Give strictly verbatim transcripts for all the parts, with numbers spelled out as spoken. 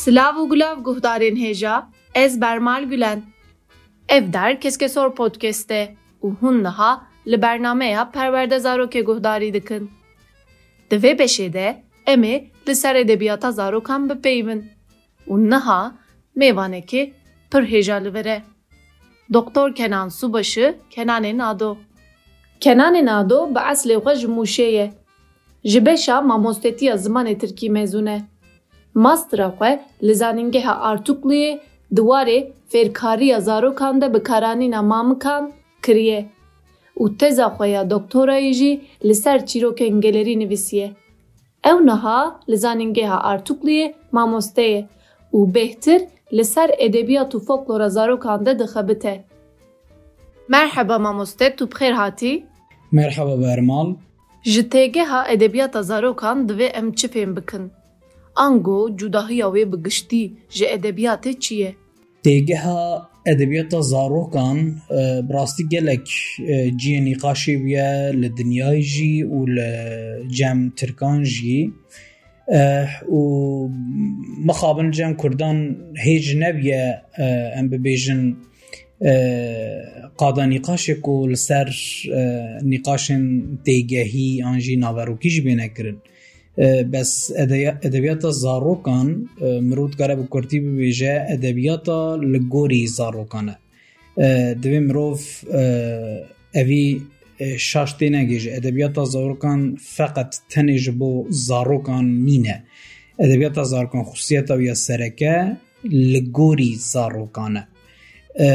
Silav û gulav guhdarên hêja, ez Bermal Gulen. Ev der Keskesor Podcast e û hûn niha li bernameya Perwerde Zarokê guhdarî dikin. Di vê beşê de em ê li ser edebiyata zarokan bipeyivin û niha mêvanekê pir hêja li vir e. Doktor Kenan Subaşı, Kenanê Nado. Kenanê Nado bi eslê xwe ji Mûşê ye. Ji beşa mamostetiya zimanê tirkî mezûn e. Mastera xwe li Zanîngeha Artukluyê di warê fêrkariya zarokan de bikaranîna mamikan kiriye û teza xwe ya doktorayê jî li ser çîrokên gelerî nivîsiye. Ew niha li Zanîngeha Artukluyê mamoste ye û bêhtir li ser edebiyat û folklora zarokan de dixebite. Merheba mamoste, tu bi xêr hatî. Merheba Bermal. Ji têgeha edebiyata zarokan divê em çi fêm bikin? Ango cudahiya wê bi giştî ji edebiyatê çi ye? Têgeha edebiyata zarokan, e, bi rastî gelek, e, cihê nîqaşê bûye li dinyayê jî û li cem tirkan jî. E, û mixabin cem kurdan hêj nebûye, e, em bibêjin, e, qada nîqaşê ku li ser, e, nîqaşên têgehî an jî naverokî jî bêne kirin. E, bes edeya-, edebiyata zarokan, e, mirov dikare bi kurtî bibêje, edebiyata li gorî zarokan e. E, divê mirov, e, evî, e, şaş tênegê ji edebiyata zarokan feqet tenê ji bo zarokan nîne. Edebiyata zarokan xusiyeta wî ya sereke li gorî zarokan e. E,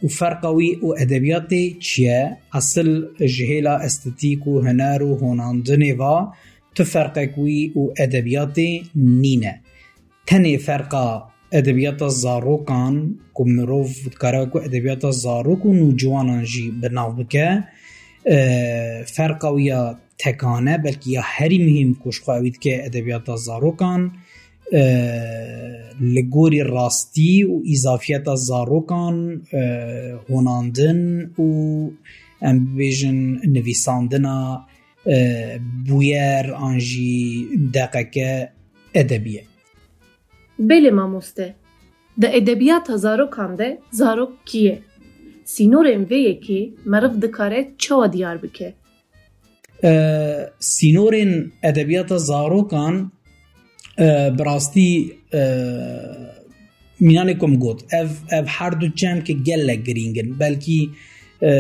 û ferqa wî û edebiyatê çi ye? Esil ji hêla estetîk û huner û honandinê va tu ferqek wî û edebiyatê nîne. Tenê ferqa edebiyata zarokan ku mirov dikare ku edebiyata zarok û nûciwanan jî bi nav bike, e, ferqa wî ya tekane, belkî ya herî muhîm ku ji xwe ewî dike edebiyata zarokan, e, li gorî rastî û îzafiyeta zarokan, e, honandin û em bibêjin nivîsandina, e, bûyer an jî deqeke edebî ye. Belê mamoste. Di edebiyata zarokan de zarok kî ye? Sînorên vê yekê meriv dikare çawa diyar bike? E, sînorên edebiyata zarokan, e, bi rastî, e, mînanê ku min got, ev, ev her du çemkê gelek girîng in. Belkî, e,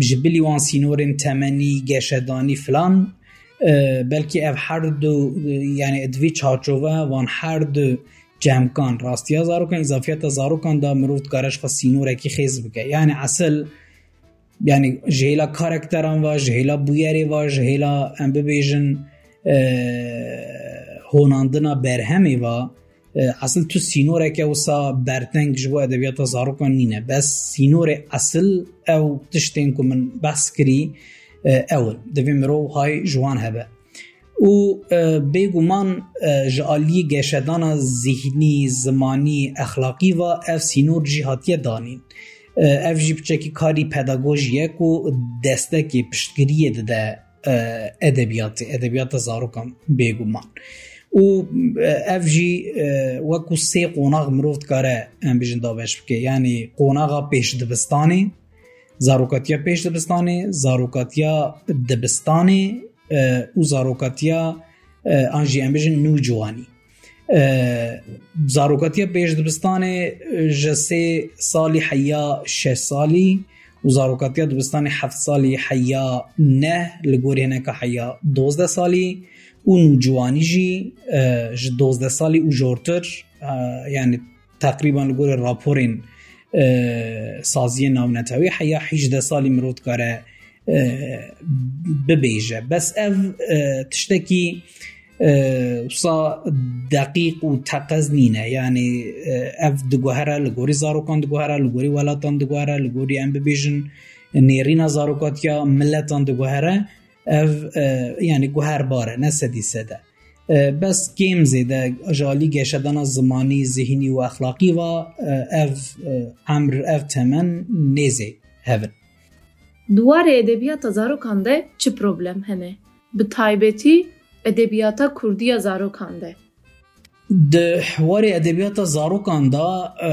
ji bilî wan sînorên temenî, geşedanî filan, e, belkî ev her du, e, yani di vî çarçove wan her du cemkan, rastiya zarokan, îzafiyeta zarokan de mirov dikare ji xwe sînorekî xêz bike. Yani esil, yani ji hêla karakteran ve, ji hêla bûyerê ve, ji hêla em bibêjin, e, honandina berhemê ve, e, esil tu sînoreke wisa berteng ji bo edebiyata zarokan nîne. Bes sînorê esil ew tiştên ku min behs kirî, e, ew in. Divê mirov hay ji wan hebe. Û, e, bêguman, e, ji aliyê geşedana zihnî, zimanî, exlaqî ve ev sînor jî hatiye danîn. E, ev jî piçekî karî pedagojî ye ku destekê piştgiriyê dide, e, edebiyatê, edebiyata zarokan bêguman. Û, e, ev jî, e, wekû sê qonax mirov dikare, em bijin dabeş bike. Yanî qonaxa pêşdibistanê, zarokatiya pêşdibistanê, zarokatiya dibistanê, e, û zarokatiya, e, an jî em bijin nûciwanî. E, zarokatiya pêşdibistanê, e, ji sê salî heya şeş salî û zarokatiya dibistanê heft salî heya neh, li gorî hineka heya dozdeh salî û nûciwanî jî, e, ji dozdeh salî û jortir, e, yani teqrîban li gorî raporên, e, saziyên navnetewî heya hîjdeh salî mirov dikare, e, bibêje. Bes ev, e, tiştekî, e, wisa deqîq û teqez nîne. Yani, e, ev diguhere, li gorî zarokan diguhere, li gorî welatan diguhere, li gorî em bibêjin nêrîna zarokatiya miletan diguhere. Ev, e, yani guherbar e, ne sedî sed e. E, bes kêm zêde ji alî geşedana zimanî, zihnî û exlaqî ve, e, ev, e, emr, ev temen nêzê hev in. Di warê edebiyata zarokan de çi problem hene? Bi taybetî edebiyata kurdî ya zarokan de. Di warê edebiyata zarokan de, e,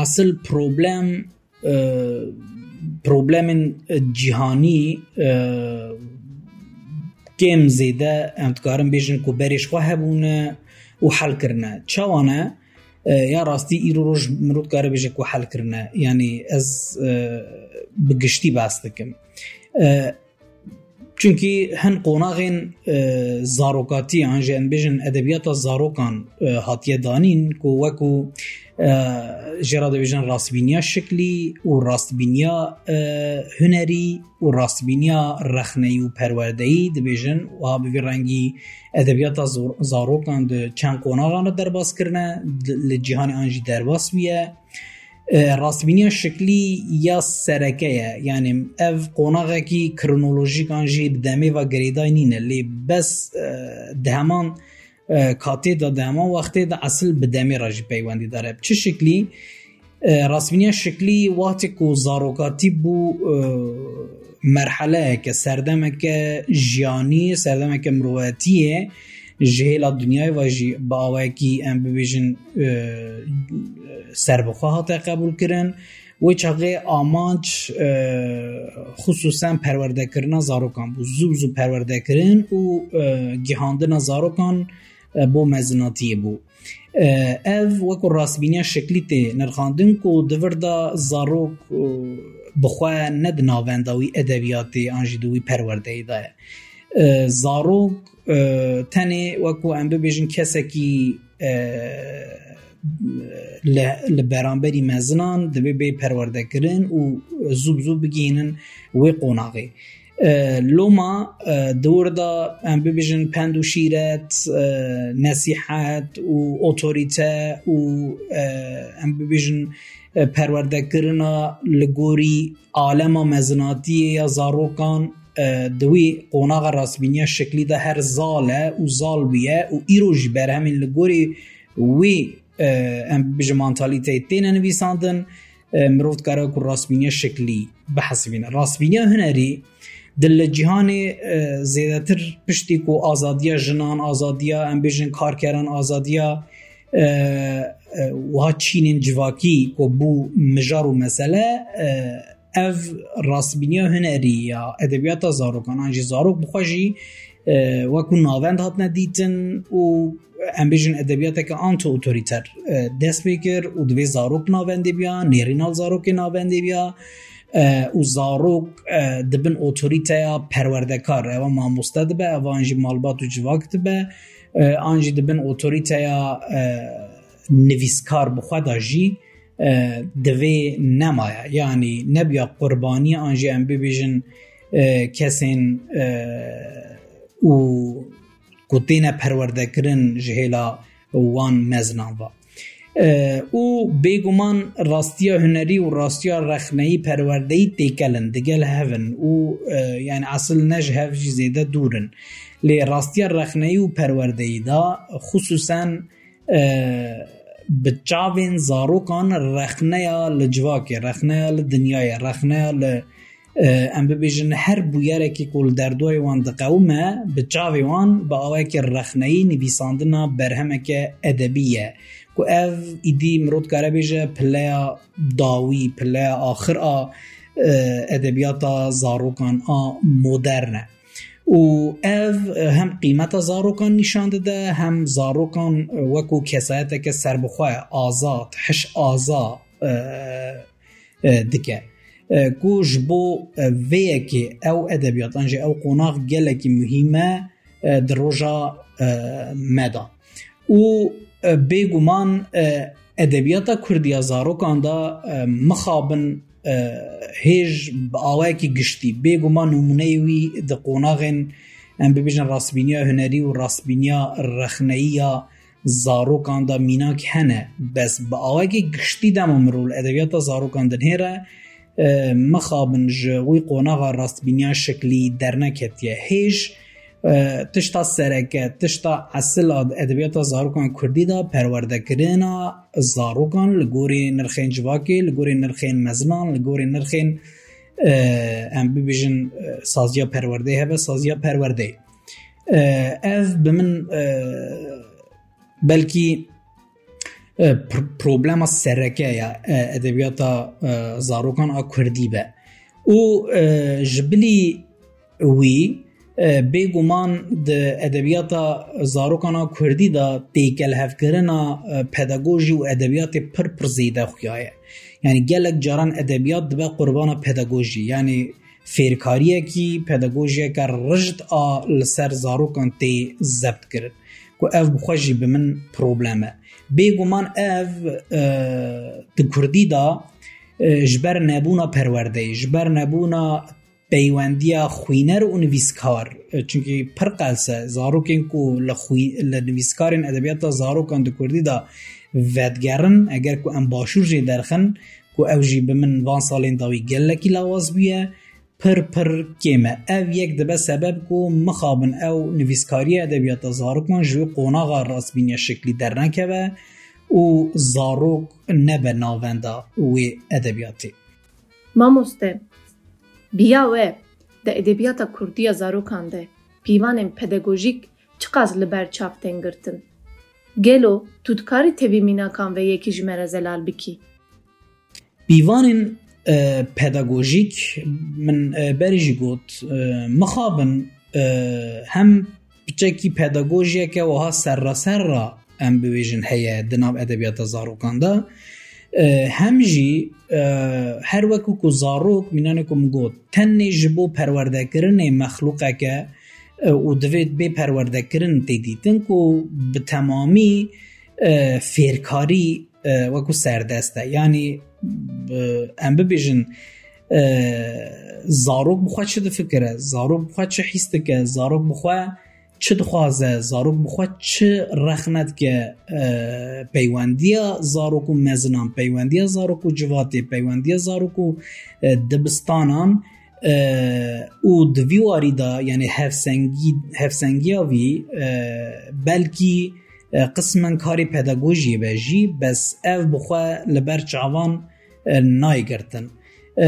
esil problem, e, problemên cîhanî, e, kêm zêde em dikarin bêjin ku berê ji xwe hebûne û hel kirine. Çawa ne? E, ya rastî îro roj mirov dikare bêje ku hel kirine. Yanî ez, e, bi giştî behs dikim. E, Çunkî hin qonaxên, e, zarokatî, an jî em bêjin edebiyata zarokan, e, hatiye danîn ku weku, e, jê re dibêjin rastbîniya şiklî û rastbîniya, e, hunerî û rastbîniya rexneyî û perwerdeyî dibêjin. Wiha bi vî rengî edebiyata zor-, zarokan di çend qonaxan re derbas kirine, di, li cîhanê an jî derbas bûye. E, rastbîniya şiklî ya sereke ye. Yanî ev qonaxekî kronolojîk an jî bi demê ve girêdayî nîne. Lê bes, e, di heman, e, katê de, di heman wextê de esil bi demê re jî peywendîdar e. Bi çi şiklî? E, rastbîniya şiklî wextê ku zarokatî bû, e, merheleyeke, serdemeke jiyanî, serdemeke mirovetiyê, ji hêla dinyayê ve jî bi awayekî em bibêjin, e, serbixwe hate qebûlkirin. Wê çaxê amanc, e, xisûsen perwerdekirina zarokan bû. Zû bi zû perwerdekirin û, e, gihandina zarokan, e, bo mezinatiyê bû. E, ev wekû rastbîniya şeklî tê nirxandin ku di vir de zarok, e, bi xwe ne di navenda wî edebiyatê an jî di wî perwerdeyê de ye. E, zarok, e, tenê wekû em bibêjin kesekî, e, li, li beramberî mezinan divê bê perwerdekirin û zû bi zû bigihînin wê qonaxê. E, loma, e, di wir de em bibêjin pend û şîret, e, nesîhet û otorîte û, e, em bibêjin, e, perwerdekirina li gorî alema mezinatiyê ya zarokan, e, di wî qonaxa rastbîniya şeklî de her zal e û zal bûye û îro jî berhemên li gorî wî, e, em bibêjin mantalîteyê têne nivîsandin, e, mirov dikare ku rastbîniya şeklî bihesibîne. Rastbîniya hunerî di li cîhanê, e, zêdetir piştî ku azadiya jinan, azadiya, em bêjin, karkeran, azadiya, e, e, wiha çînên civakî ku bû mijar û mesele, e, ev rastbîniya hunerî ya edebiyata zarokan an jî zarok bi xwe jî, e, wekû navend hatine dîtin û em bêjin edebiyateke anti-otorîter, e, dest pê kir û divê zarok navendê biya, nêrîna li zarokê navendê biya, e, û zarok, e, di bin otorîteya perwerdekar, eva mamoste dibe, eva an jî malbat û civak dibe, e, an jî di bin otorîteya, e, nivîskar bi xwe de jî, e, divê nemaye. Yanî nebiya qurbaniya an jî em bibêjin, e, kesên, e, û ku têne perwerdekirin ji hêla wan mezinan ve. E, û bêguman rastiya hunerî û rastiya rexneyî perwerdeyî têkel in, digel hev in û, e, yani esil ne ji hev jî zêde dûr in. Lê rastiya rexneyî û perwerdeyî de xisûsen, e, bi çavên zarokan rexneya li civakê, rexneya li dinyayê, rexneya li, e, em bibêjin her bûyerekî ku li derdoyê wan diqewime, bi çavê wan bi awayekî rexneyî nivîsandina berhemeke edebî ye. Ku ev îdî mirov dikare bêje pileya dawî, pileya axir a, e, edebiyata zarokan a modern e. Û ev, e, hem qîmeta zarokan nîşan dide, hem zarokan, e, wekû kesayeteke serbixwe, azad, hiş aza, e, e, dike. E, ku ji bo, e, vê yekê ew edebiyat, an jî ew qonax gelekî muhîm e, e, di roja, e, me de. Û, e, bêguman, e, edebiyata kurdî ya zarokan de, e, mixabin, e, hêj bi awayekî giştî, bêguman nimûneyê wî di qonaxên, em bibêjin, rastbîniya hunerî û rastbîniya rexneyî ya zarokan de mînak hene. Bes bi awayekî giştî dema mirov li edebiyata zarokan dinihêre, e, mixabin ji wî qonaxa rastbîniya şeklî derneketiye. Hêj, e, tişta sereke, tişta esil a edebiyata zarokan kurdî de perwerdekirina zarokan li gorî nirxên civakê, li gorî nirxên mezinan, li gorî nirxên, e, em bibêjin, e, saziya perwerdeyê hebe, saziya perwerdeyê. E, ev bi min, e, belkî e, pr- problema sereke ya e, edebiyata e, zarokan a kurdî be. Û e, ji bilî wî e, bêguman di edebiyata zarokan a kurdî de têkelhevkirina e, pedagojî û edebiyatê pir pir zêde xuya ye. Yani gelek caran edebiyat dibe qurbana pedagojî. Yani fêrkariyekî, pedagojiyeke rijd a li ser zarokan tê zebt kirin. Ku ev bi xwe jî bi min problem e. Bêguman ev e, di kurdî de e, ji ber nebûna perwerdeyê, ji ber nebûna peywendiya xwîner û nivîskar, e, çunkî pir qels e, zarokên ku li xwî-, li nivîskarên edebiyata zarokan di kurdî de vedigerin, eger ku em başûr jê derxin, ku ew jî bi min van salên dawî gelekî lawaz bûye, pir pir kêm e. Ev yek dibe sebeb ku mixabin ew nivîskariya edebiyata zarokan ji wê qonaxa rastbîniya şeklî dernekeve û zarok nebe navenda wê edebiyatê. Mamoste, biya we di edebiyata kurdî ya zarokan de pîvanên pedagojîk çiqas li ber çav tên girtin? Gelo tu dikarî tevî mînakan ve yekî ji me re zelal bikî? Pîvanên e, pedagojîk, min e, berî jî got, e, mixabin e, hem piçekî pedagojiyeke wiha serraserra em bibêjin heye di nav edebiyata zarokan de. E, hem jî e, her wekî ku zarok, mînanê ku min got, tenê ji bo perwerdekirinê mexlûqeke e, û divê bê perwerdekirin tê dîtin ku bi temamî e, fêrkarî e, wekî serdest e. Yanî e, em bibêjin e, zarok bi xwe çi difikire, zarok bi xwe çi hîs dike, zarok bi xwe çi dixwaze, zarok bi xwe çi rexne dike, e, peywendiya zarok û mezinan, peywendiya zarok û civatê, peywendiya zarok û e, dibistanan, e, û di vî warî de, yani hevsengî-, hevsengiya vî e, belkî e, qismen karê pedagojiyê be jî, bes ev bi xwe li ber çavan e, nayê girtin. E,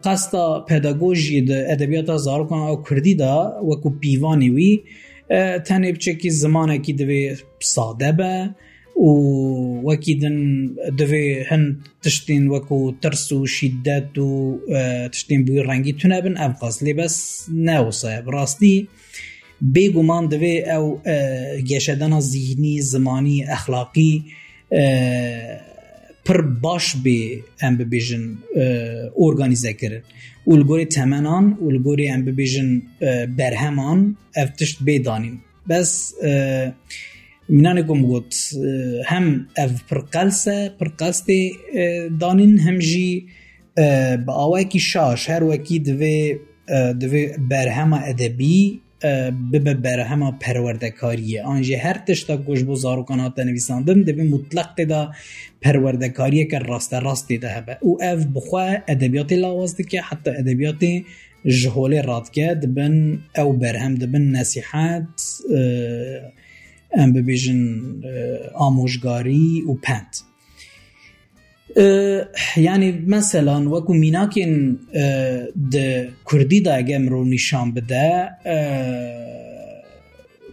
qesta pedagojiyê di edebiyata zarokan a kurdî de wekû pîvanê wî e, tenê piçekî zimanekî divê sade be û wekî din divê hin tiştên wekû tirs û şîdet û e, tiştên bi wî rengî tune bin, ev qas lê bes ne wisa ye. Bi rastî bêguman divê ew e, geşedana zîhnî, zimanî, exlaqî e, pir baş bê, em bibêjin, e, organîze kirin. Û li gorê temenan û li gorê, em bibêjin, e, berheman ev tişt bê danîn. Bes e, mînanê ku min got, e, hem ev pir qels e, pir qels tê e, danîn, hem jî e, bi awayekî şaş, her wekî divê, e, divê berhema edebî e, bibe berhema perwerdekariyê. An jî her tişta ku ji bo zarokan hate nivîsandin, divê mutleq tê de perwerdekariyeke rasterast tê de hebe. Û ev bi xwe edebiyatê lawaz dike, heta edebiyatê ji holê radike, dibin ew berhem, dibin nesîhet, e, em bibêjin, e, amojgarî û pend. E, yani, meselan, wekû mînakên, e, di kurdî de eger mirov nîşan bide, e,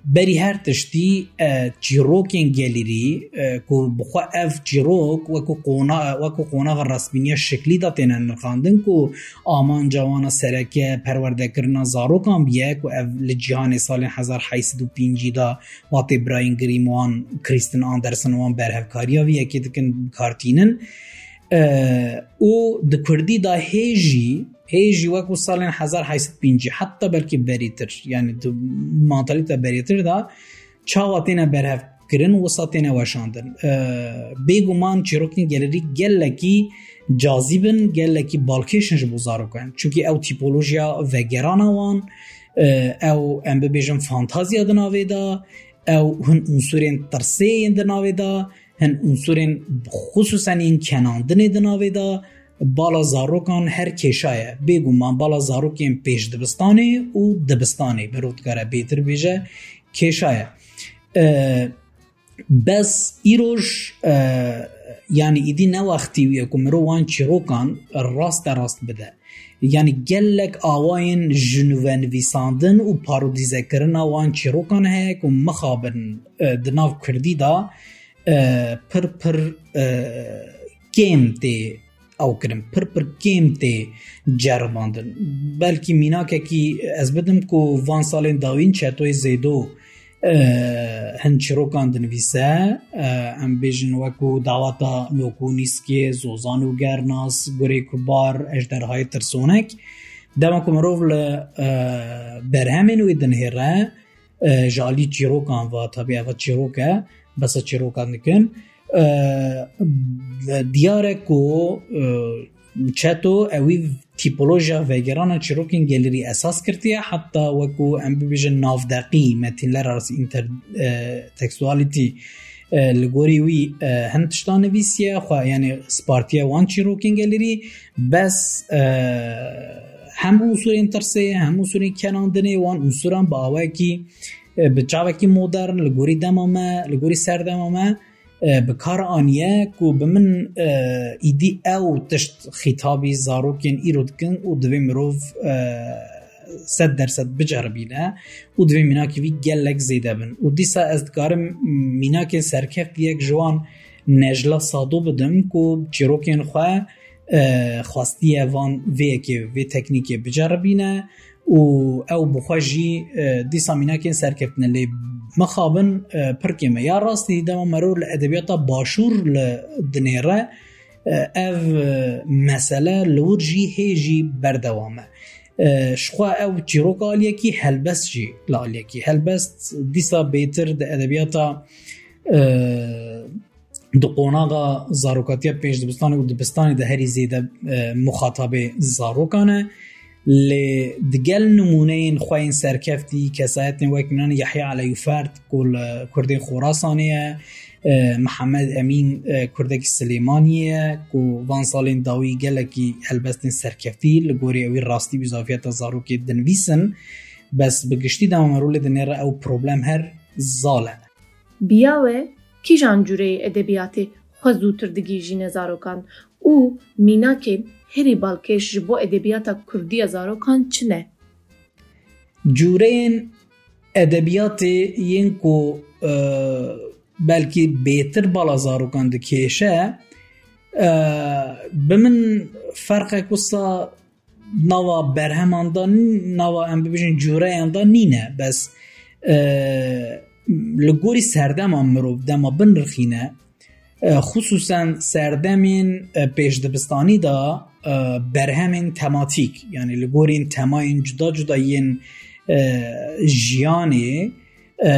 berî her tiştî, e, çîrokên gelêrî, e, ku bi xwe ev çîrok wekû qona-, wekû qonaxa rastbîniya şeklî de têne nirxandin, ku amanca wan a sereke perwerdekirina zarokan biye, ku ev li cîhanê salên hezar heyt sed û pêncî de Watê birayên Grimm wan Kristen Anderson wan berhevkariya vî yekê dikin, bi kar tînin. E, û di kurdî de hê jî, hê jî wekû salên hezar heyt sed pêncî, heta belkî berîtir, yani di mantalîte berîtir de çawa têne berhev kirin, wisa têne weşandin. E, bêguman çîrokên gelêrî gelekî cazîb in, gelekî balkêş in ji bo zarokan. Çunkî ew tîpolojiya vegerana wan, e, ew, em bibêjin, fantaziya di navê de, ew hin unsurên tirsê yên di navê de, hin unsurên xisûsen yên kenandinê di navê de, bala zarokan her kêşa ye. Bêguman bala zarokên pêş dibistanê û dibistanê, mirov dikare bêtir bêje, kêşa ye. E, bes îroj, e, yani îdî ne wextî wî ye ku mirov wan çîrokan raste rast bide. Yanî gelek awayên ji nû ve nivîsandin û parodîzekirina wan çîrokan heye ku mixabin, e, di nav kurdî de, e, pir pir, e, kêm tê ew kirin, pir pir kêm tê ceribandin. Belkî mînakekî ez bidim ku van salên dawîn Çetoyê Zêdo, e, hin çîrokan dinivîse, e, em bêjin wekû Dawata Nokûnîskê, Zozan û Gernas, Gurê Kubar, Ejderhayê Tirsonek. Dema ku mirov li, e, berhemên wê dinihêre, e, ji alî çîrokan ve, tabî eva çîrok e, besa çîrokan dikin. E, diyar e ku, e, Çeto ewî tîpolojiya vegerana çîrokên gelêrî esas girtiye, heta wekû em bibêjin navdeqî, metînler arası inter-, e, textuality, e, li gorî wî, e, hin tiştan nivîsiye, xwe, yanî spartiye wan çîrokên gelêrî, bes, e, hem unsurên tirsê, hem unsurên kenandinê wan unsuran bi awayekî, e, bi çavekî modern, li gorî dema me, li gorî serdema me, e, bi kar aniye ku bi min, e, îdî ew tişt xîtabî zarokên îro dikin û divê mirov, e, sed dersed biceribîne û divê mînakê wî gelek zêde bin. Û dîsa ez dikarim mînakên serkeftî yek ji wan Necla Sado bidim ku çîrokên xwe, e, xwestiye van vê yekê, vê teknîkê biceribîne û ew bi xwe jî, e, dîsa mînakên serkeftine lê mixabin, e, pir kêm e. Ya rastî dema merov li edebiyata başûr li dinêre, e, ev, e, mesele li wir jî hê jî berdewam e. E, ji xwe ew çîrok aliyekî, helbest jî li aliyekî. Helbest dîsa bêtir di edebiyata, e, di qonaxa zarokatiya pêşdibistanê û dibistanê de herî zêde, e, muxatabê zarokan e. Lê digel nimûneyên xwe yên serkeftî, kesayetên wek mînan Yehya Eleyûferd ku li Kurdên Xorasanê ye, e, Mihemed Emîn, e, Kurdekî Silêmaniyê ye ku van salên dawî gelekî helbestên serkeftî li gorî ewî rastî û zafiyeta zarokê dinivîsin. Bes bi giştî dema merûlê dinêre ew problem her zal e. Biya we kîjan cûreyê edebiyatê xwe zûtir digihîjîne zarokan û mînakên herî balkêş ji bo edebiyata kurdî ya zarokan çi ne? Cûreyên edebiyatê yên ku, e, belkî bêtir bala zarokan dikêşe, e, bi min ferqek wisa nava berheman de, nava em bibêjin cûreyan de nîne. Bes, e, li gorî serdema mirov dema binirxîne, e, xisûsen serdemên, e, pêşdibistanî de, e, berhemên tematîk, yanî li gorî temayên cuda cuda yên, e, jiyanê, e,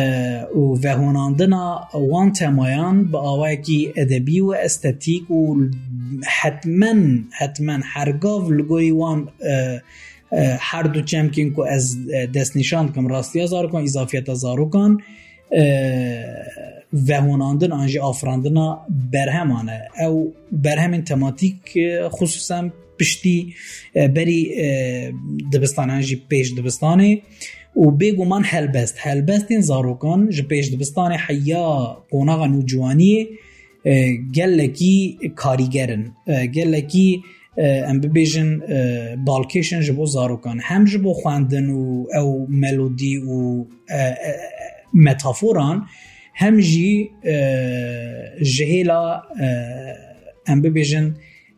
û vehonandina wan temayan bi awayekî edebî û estetîk û hetmen, hetmen hergav li gorî wan, e, e, her du çemkên ku ez, e, destnîşan dikim, rastiya zarokan, îzafiyeta zarokan, e, vehonandin an jî afirandina berheman e. Ew berhemên tematîk, e, xisûsen piştî, e, berî, e, dibistanan jî pêş dibistanê û bêguman helbest, helbestên zarokan ji pêş dibistanê heya qonaxa nûciwaniyê, e, gelekî karîger in. E, gelekî, e, em bibêjin, e, balkêş in ji bo zarokan. Hem ji bo xwendin û ew melodî û, e, e, metaforan, hem jî, e, ji hêla, e, em bibêjin,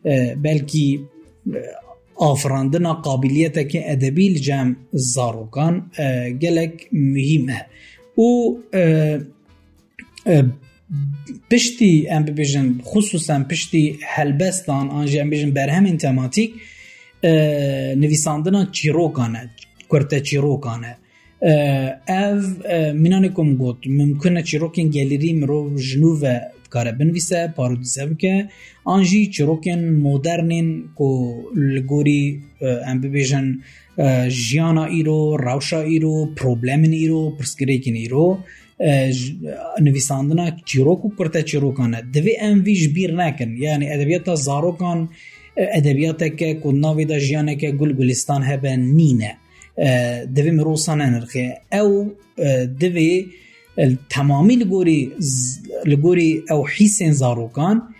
e, belkî, e, afirandina qabiliyeteke edebî li cem zarokan, e, gelek muhîm e. Û, e, e, piştî, em bibêjin, xisûsen piştî helbestan an jî em bêjin berhemên tematîk, e, nivîsandina çîrokan e, kurte çîrokan e. E, ev, e, mînanê ku min got, mimkun e çîrokên gelêrî mirov ji nû ve dikare binivîse, parodîze bike, an jî çîrokên modernên ku li gorî, e, em bibêjin, e, jiyana îro, rewşa îro, problemên îro, pirsgirêkên îro, e, j-, nivîsandina çîrok û kurte çîrokan e. Divê em vî ji bîr nekin. Yanî edebiyata zarokan, e, edebiyateke ku navê de jiyaneke gul gulistan hebe nîne. E, divê mirov wisa nenirxê. Ew, e, divê, e, temamî li gorî z-, li gorî ew hîsên zarokan,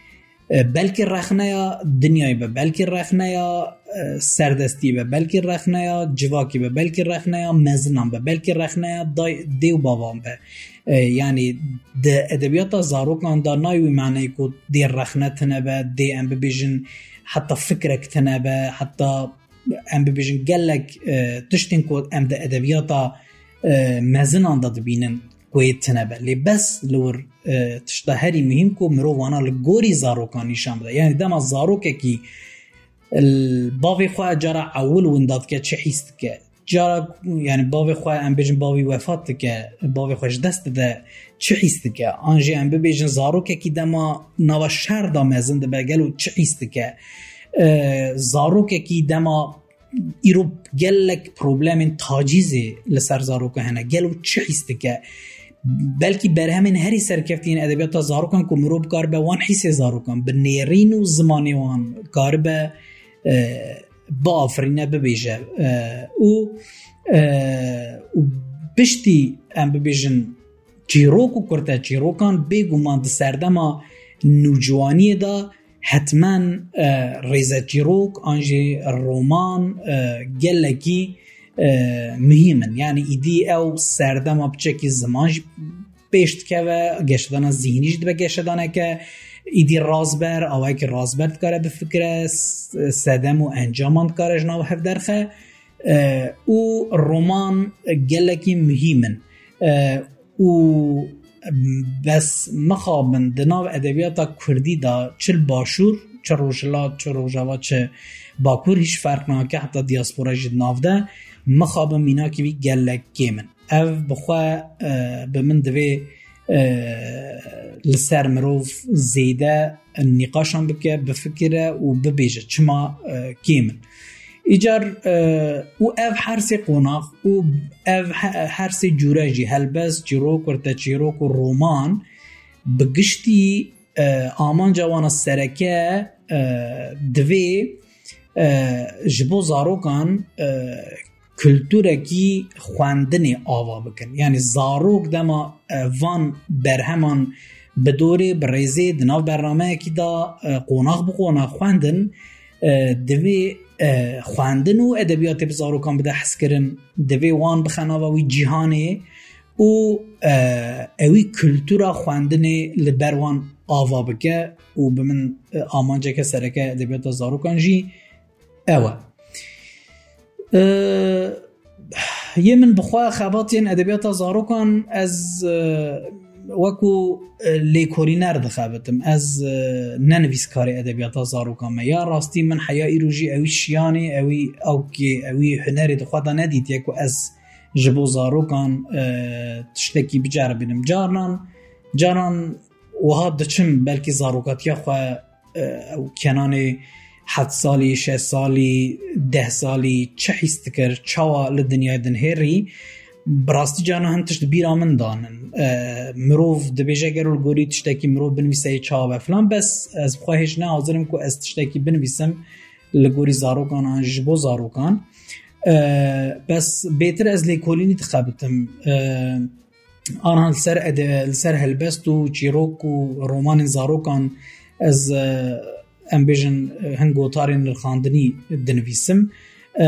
E, belkî rexneya dinyayê be, belkî rexneya, e, serdestiyê be, belkî rexneya civakê be, belkî rexneya mezinan be, belkî rexneya day-, dê û bavan be. E, yanî di edebiyata zarokan de nayê wî maneyê ku dê rexne tune be, dê em bibêjin heta fikrek tune be, heta em bibêjin gelek, e, tiştên ku em di edebiyata, e, mezinan de dibînin ku yê tune be. Lê bes li wir, e, tişta herî muhîm ku mirov wana li gorî zarokan nîşan bide. Yanî dema zarokekî, e, bavê xwe cara ewil winda dike, çi hîs dike? Cara, yanî bavê xwe, em bêjin bavî wefat dike, bavê xwe ji dest dide, çi hîs dike? An jî em bibêjin zarokekî dema nava şer de mezin dibe, gelo çi hîs dike? E, zarokekî dema îro gelek problemên tacîzê li ser zarokan hene, gelo çi hîs dike? Belkî berhemên herî serkeftî yên edebiyata zarokan ku mirov bikaribe wan hîsê zarokan bi nêrîn û zimanê wan karibe, e, biafirîne, bibêje. E, û, e, û piştî em bibêjin çîrok û kurteçîrokan bêguman di serdema nûciwaniyê de hetmen, e, rêzeçîrok an jî roman, e, gelekî, e, muhîm in. Yanî îdî ew serdema piçekî ziman jî pêş dikeve, geşedana zîhnî jî dibe geşedaneke îdî razber, awayekî razber dikare bifikire, s-, sedem û encaman dikare ji nav hev derxe, e, û roman gelekî muhîm in. E, û bes mixabin di nav edebiyata kurdî de çi li başûr, çi rojhilat, çi rojava, çi bakur hîç ferq nake, heta diaspora jî di nav de, mixabin mînakî vî gelek kêm in. Ev bi xwe, e, bi min divê, e, li ser mirov zêde nîqaşan bike, bifikire û bibêje çima, e, kêm in. Îcar, e, û ev her sê qonax û ev he-, her sê cûre jî helbest, çîrok, kurteçîrok û roman bi giştî, e, amanca wana sereke, e, divê, e, ji bo zarokan, e, kulturekî xwendinê ava bikin. Yanî zarok dema, e, van berheman bi dorê, bi rêzê di nav bernameyekî de, e, qonax bi qonax xwendin, e, divê, e, xwendin û edebiyatê bi zarokan bide hezkirin, divê wan bixe nava wî cîhanê û, e, ewî kultura xwendinê li ber wan ava bike û bi min, e, amanceke sereke edebiyata zarokan jî ew e. E, yê min bi xwe xebatên edebiyata zarokan ez, e, wekû, e, lêkolîner dixebitim. Ez, e, ne nivîskarê edebiyata zarokan me. Ya rastî min heya îro jî ewî şiyanê, ewî awkê, ewî hunerê di xwe de nedîtiye ku ez ji bo zarokan, e, tiştekî biceribînim. Carnan, caran wiha diçim belkî zarokatiya xwe, e, ew kenanê heft salî, şeş salî, deh salî çi hîs dikir, çawa li dinyayê dinihêrî, bi rastî carna hin tişt bîra min danin. E, mirov dibêje gero li gorî tiştekî mirov binivîse yê çawa be filan, bes ez bi xwe hêj ne hazir im ku ez tiştekî binivîsim li gorî zarokan an ji bo zarokan. E, bes bêtir ez lêkolînî dixebitim. E, Anha li ser ede-, li ser helbest û çîrok û romanên zarokan ez, e, em bêjin, e, hin gotarên nirxandinî dinivîsim. E,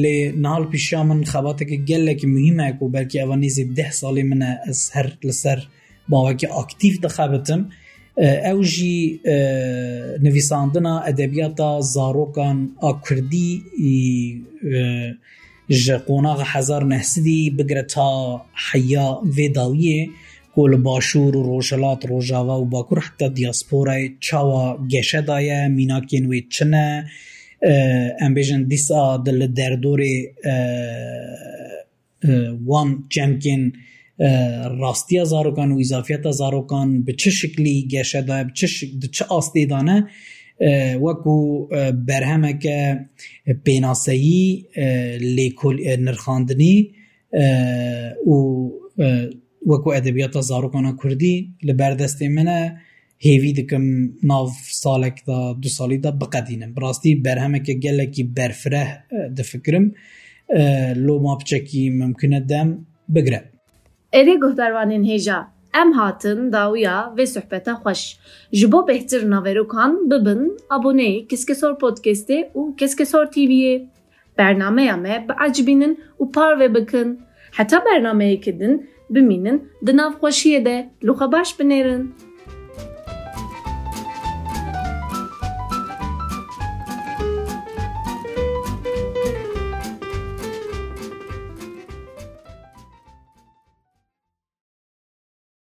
lê niha li pêşiya min xebateke gelekî muhîm e ku belkî eva nêzî deh salê min e ez her li ser bawekî aktîf dixebitim. E, ew jî, e, nivîsandina edebiyata zarokan a kurdî, e, ji qonaxa hezar neh sedî bigire ta heya vê dawiyê ku li Başûr û Rojhilat, Rojava û Bakur heta diasporayê çawa geşe daye, mînakên wê çi ne, e, em bêjin dîsa di li derdorê, e, e, wan çemkên, e, rastiya zarokan û îzafiyeta zarokan bi çi şiklî geşe daye, bi çi şik-, di çi astê de ne, e, wekû, e, berhemeke pênaseyî, e, lêkol-, e, nirxandinî, e, û, e, wekû edebiyata zarokana kurdî li ber destê min e. Hêvî dikim nav salek de, du salî de biqedînim. Bi rastî berhemeke gelekî berfireh, e, difikirim. E, loma piçekî mimkun e dem bigire. Erê guhdarvanên hêja, Em hatin dawiya vê sohbeta xweş. Ji bo bêhtir naverokan bibin aboneyê Keskesor Podcastê û Keskesor T V'yê. Bernameya me biecibînin û parve bikin. Heta bernameyeke din bimînin di nav xweşiyê de. Li xwe baş binêrin.